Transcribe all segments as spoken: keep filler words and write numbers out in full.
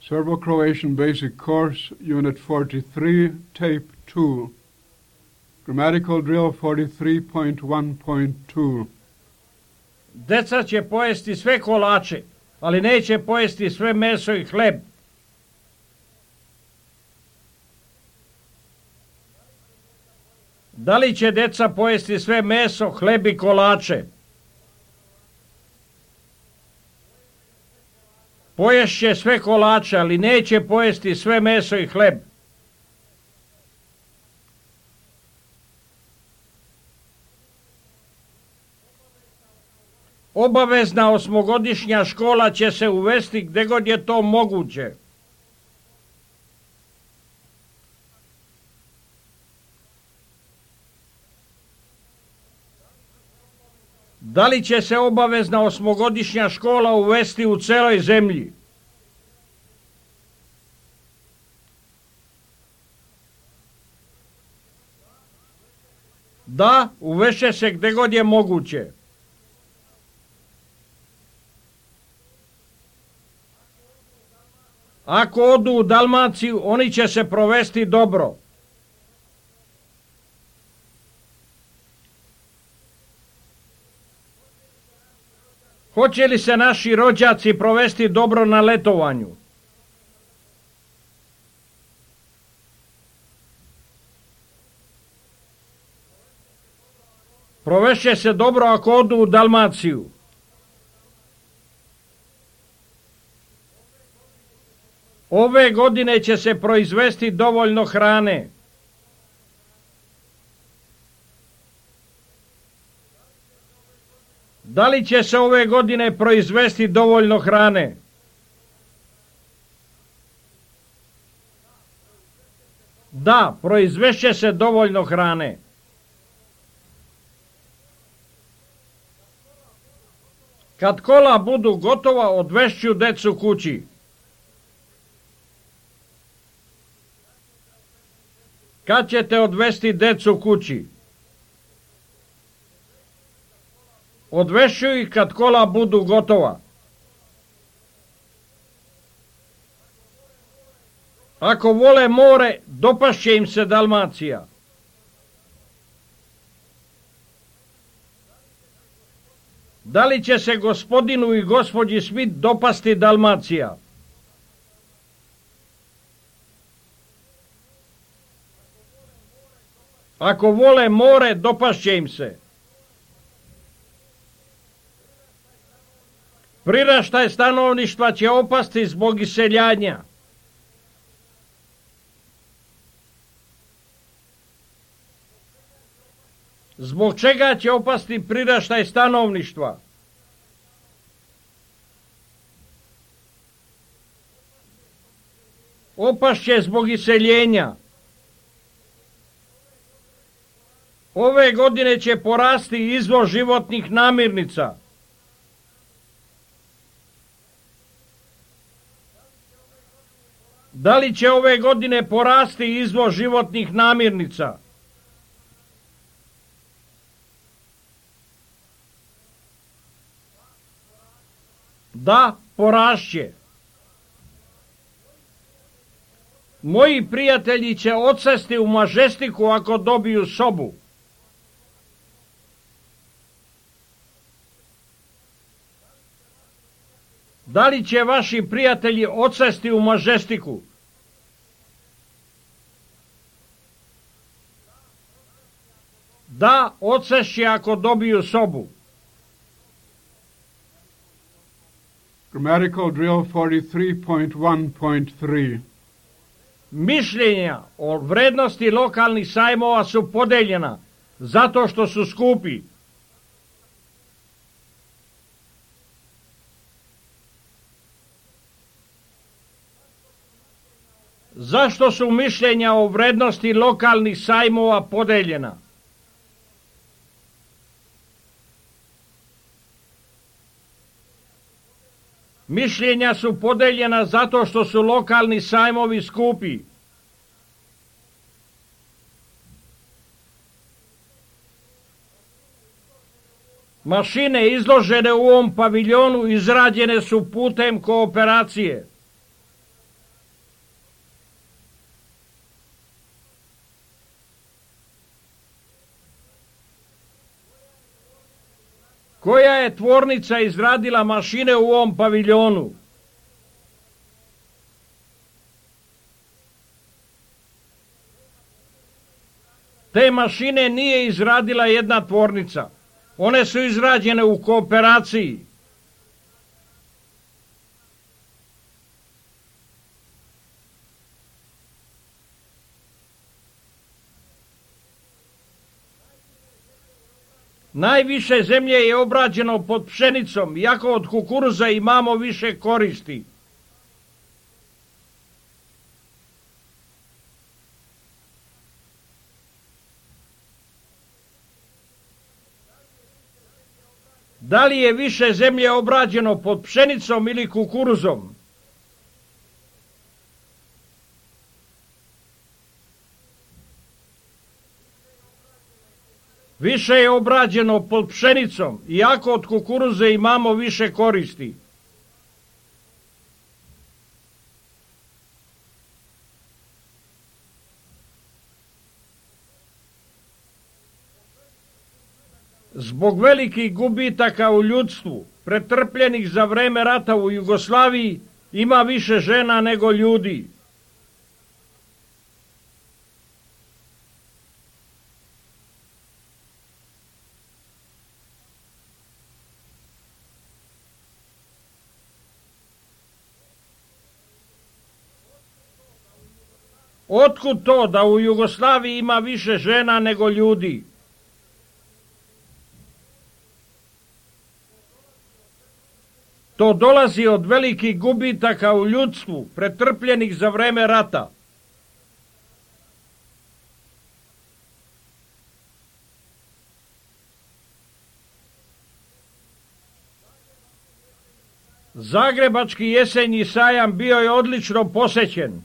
Serbo-Croatian Basic Course, Unit forty-three, Tape two. Grammatical Drill forty-three point one point two. Deca će pojesti sve kolače, ali neće pojesti sve meso i hleb. Da li će deca pojesti sve meso, hleb i kolače? Poješće sve kolače, ali neće pojesti sve meso i hleb. Obavezna osmogodišnja škola će se uvesti gdje god je to moguće. Da li će se obavezna osmogodišnja škola uvesti u celoj zemlji? Da, uvešće se gdje god je moguće. Ako odu u Dalmaciju, oni će se provesti dobro. Hoće li se naši rođaci provesti dobro na letovanju? Provešće se dobro ako odu u Dalmaciju. Ove godine će se proizvesti dovoljno hrane. Da li će se ove godine proizvesti dovoljno hrane? Da, proizvešće se dovoljno hrane. Kad kola budu gotova, odvešću decu kući. Kad ćete odvesti decu kući? Odvešću ih kad kola budu gotova. Ako vole more, dopašće im se Dalmacija. Da li će se gospodinu i gospođi Smith dopasti Dalmacija? Ako vole more, dopašće im se. Priraštaj stanovništva će opasti zbog iseljanja. Zbog čega će opasti priraštaj stanovništva? Opašće zbog iseljenja. Ove godine će porasti izvoz životnih namirnica. Da li će ove godine porasti izvoz životnih namirnica? Da, porašće. Moji prijatelji će odsesti u Mažestiku ako dobiju sobu. Da li će vaši prijatelji odsesti u Mažestiku? Da, odsešće ako dobiju sobu. Grammatical Drill forty-three point one point three. Mišljenja o vrednosti lokalnih sajmova su podeljena zato što su skupi. Zašto su mišljenja o vrednosti lokalnih sajmova podeljena? Mišljenja su podeljena zato što su lokalni sajmovi skupi. Mašine izložene u ovom paviljonu izrađene su putem kooperacije. Koja je tvornica izradila mašine u ovom paviljonu? Te mašine nije izradila jedna tvornica. One su izrađene u kooperaciji. Najviše zemlje je obrađeno pod pšenicom, iako od kukuruza imamo više koristi. Da li je više zemlje obrađeno pod pšenicom ili kukuruzom? Više je obrađeno pod pšenicom, iako od kukuruze imamo više koristi. Zbog velikih gubitaka u ljudstvu, pretrpljenih za vreme rata u Jugoslaviji, ima više žena nego ljudi. Otkud to da u Jugoslaviji ima više žena nego ljudi? To dolazi od velikih gubitaka u ljudstvu, pretrpljenih za vreme rata. Zagrebački jesenji sajam bio je odlično posećen.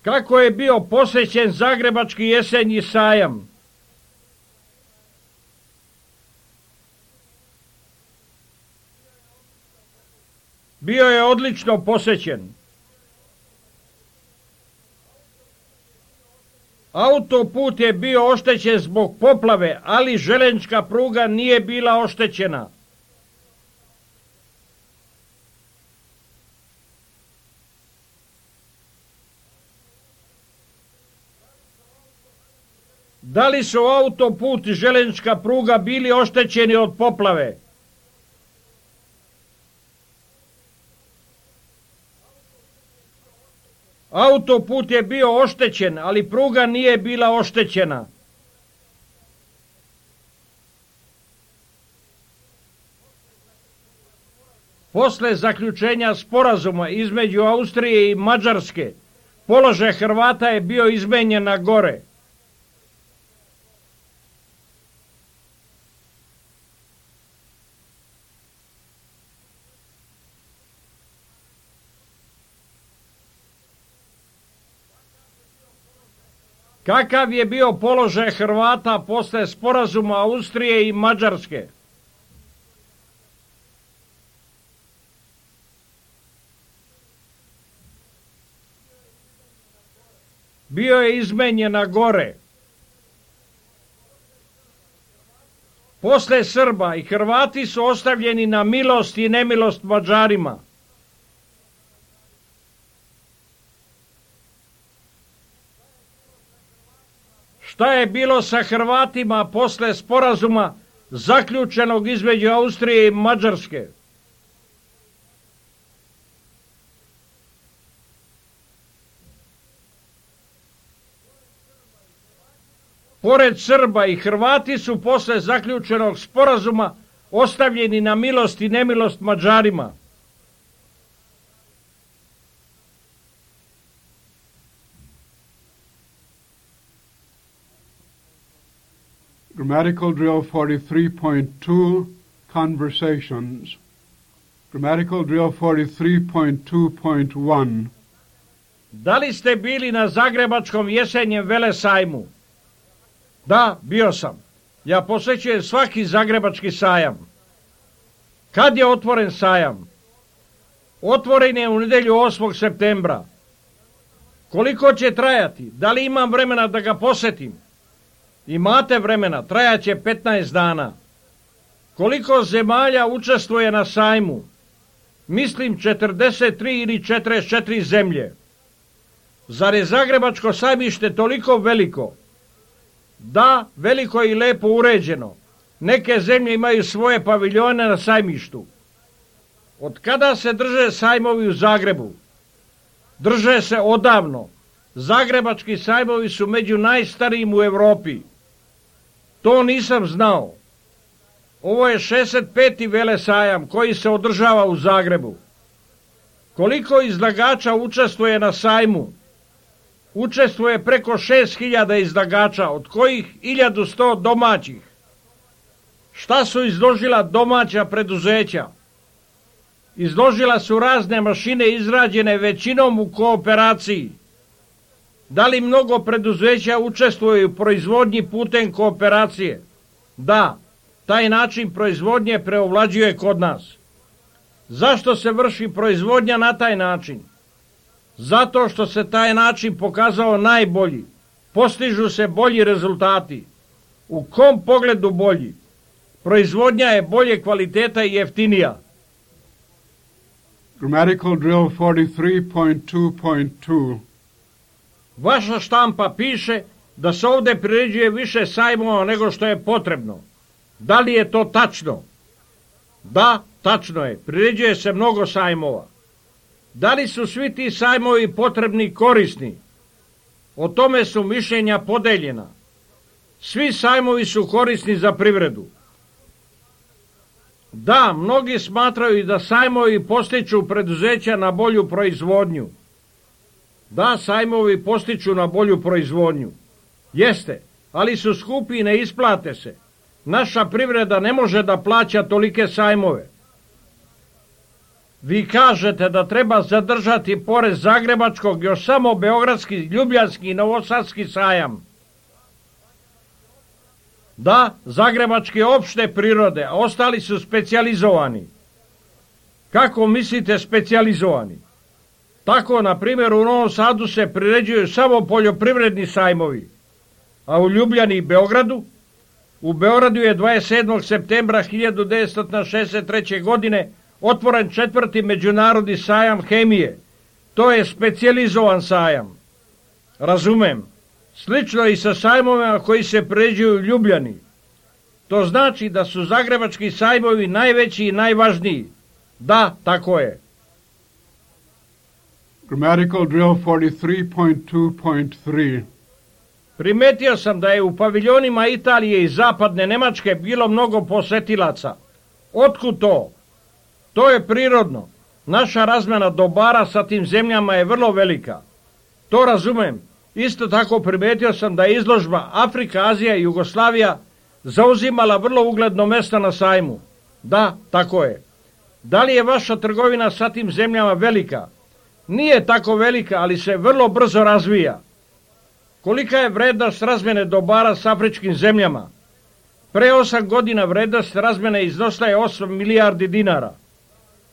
Kako je bio posećen Zagrebački jesenji sajam? Bio je odlično posećen. Autoput je bio oštećen zbog poplave, ali željeznička pruga nije bila oštećena. Da li su autoput i željeznička pruga bili oštećeni od poplave? Autoput je bio oštećen, ali pruga nije bila oštećena. Posle zaključenja sporazuma između Austrije i Mađarske, položaj Hrvata je bio izmenjen na gore. Kakav je bio položaj Hrvata posle sporazuma Austrije i Mađarske? Bio je izmenjen na gore. Posle Srba i Hrvati su ostavljeni na milost i nemilost Mađarima. Šta je bilo sa Hrvatima posle sporazuma zaključenog između Austrije i Mađarske? Pored Srba i Hrvati su posle zaključenog sporazuma ostavljeni na milost i nemilost Mađarima. Grammatical drill forty-three point two, conversations. Grammatical drill forty-three point two point one. Da li ste bili na Zagrebačkom jesenjem velesajmu? Da, bio sam. Ja posećujem svaki Zagrebački sajam. Kad je otvoren sajam? Otvoren je u nedelju osmog septembra. Koliko će trajati? Da li imam vremena da ga posjetim? Imate vremena, trajaće petnaest dana. Koliko zemalja učestvuje na sajmu? Mislim četrdeset tri ili četrdeset četiri zemlje. Zar je Zagrebačko sajmište toliko veliko? Da, veliko i lepo uređeno. Neke zemlje imaju svoje paviljone na sajmištu. Od kada se drže sajmovi u Zagrebu? Drže se odavno. Zagrebački sajmovi su među najstarijim u Europi. To nisam znao. Ovo je šezdeset peti velesajam koji se održava u Zagrebu. Koliko izlagača učestvuje na sajmu? Učestvuje preko šest hiljada izlagača, od kojih hiljadu sto domaćih. Šta su izložila domaća preduzeća? Izložila su razne mašine izrađene većinom u kooperaciji. Da li mnogo preduzeća učestvuje u proizvodnji putem kooperacije? Da, taj način proizvodnje preovlađuje kod nas. Zašto se vrši proizvodnja na taj način? Zato što se taj način pokazao najbolji. Postižu se bolji rezultati. U kom pogledu bolji? Proizvodnja je bolje kvaliteta i jeftinija. Grammatical drill forty-three point two point two. Vaša štampa piše da se ovdje priređuje više sajmova nego što je potrebno. Da li je to tačno? Da, tačno je. Priređuje se mnogo sajmova. Da li su svi ti sajmovi potrebni i korisni? O tome su mišljenja podeljena. Svi sajmovi su korisni za privredu. Da, mnogi smatraju da sajmovi postiču preduzeća na bolju proizvodnju. Da, sajmovi postiču na bolju proizvodnju. Jeste, ali su skupi i ne isplate se. Naša privreda ne može da plaća tolike sajmove. Vi kažete da treba zadržati pored Zagrebačkog još samo Beogradski, Ljubljanski i Novosadski sajam. Da, Zagrebački opšte prirode, a ostali su specijalizovani. Kako mislite specijalizovani? Tako, na primjer, u Novom Sadu se priređuju samo poljoprivredni sajmovi, a u Ljubljani i Beogradu? U Beogradu je dvadeset sedmog septembra hiljadu devetsto šezdeset treće. godine otvoren četvrti međunarodni sajam hemije. To je specijalizovan sajam. Razumem. Slično i sa sajmovima koji se priređuju u Ljubljani. To znači da su zagrebački sajmovi najveći i najvažniji. Da, tako je. Grammatical drill forty-three point two point three. Primetio sam da je u paviljonima Italije i zapadne Nemačke bilo mnogo posetilaca. Otkud to? To je prirodno. Naša razmjena dobara sa tim zemljama je vrlo velika. To razumem. Isto tako primetio sam da je izložba Afrika, Azija i Jugoslavija zauzimala vrlo ugledno mjesto na sajmu. Da, tako je. Da li je vaša trgovina sa tim zemljama velika? Nije tako velika, ali se vrlo brzo razvija. Kolika je vrednost razmjene dobara s afričkim zemljama? Pre osam godina vrednost razmjene iznosila je osam milijardi dinara.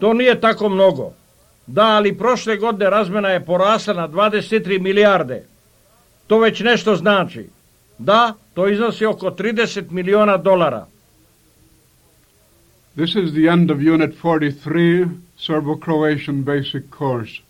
To nije tako mnogo. Da, ali prošle godine razmjena je porasla na dvadeset tri milijarde. To već nešto znači. Da, to iznosi oko trideset miliona dolara. This is the end of Unit forty-three, Serbo-Croatian Basic Course.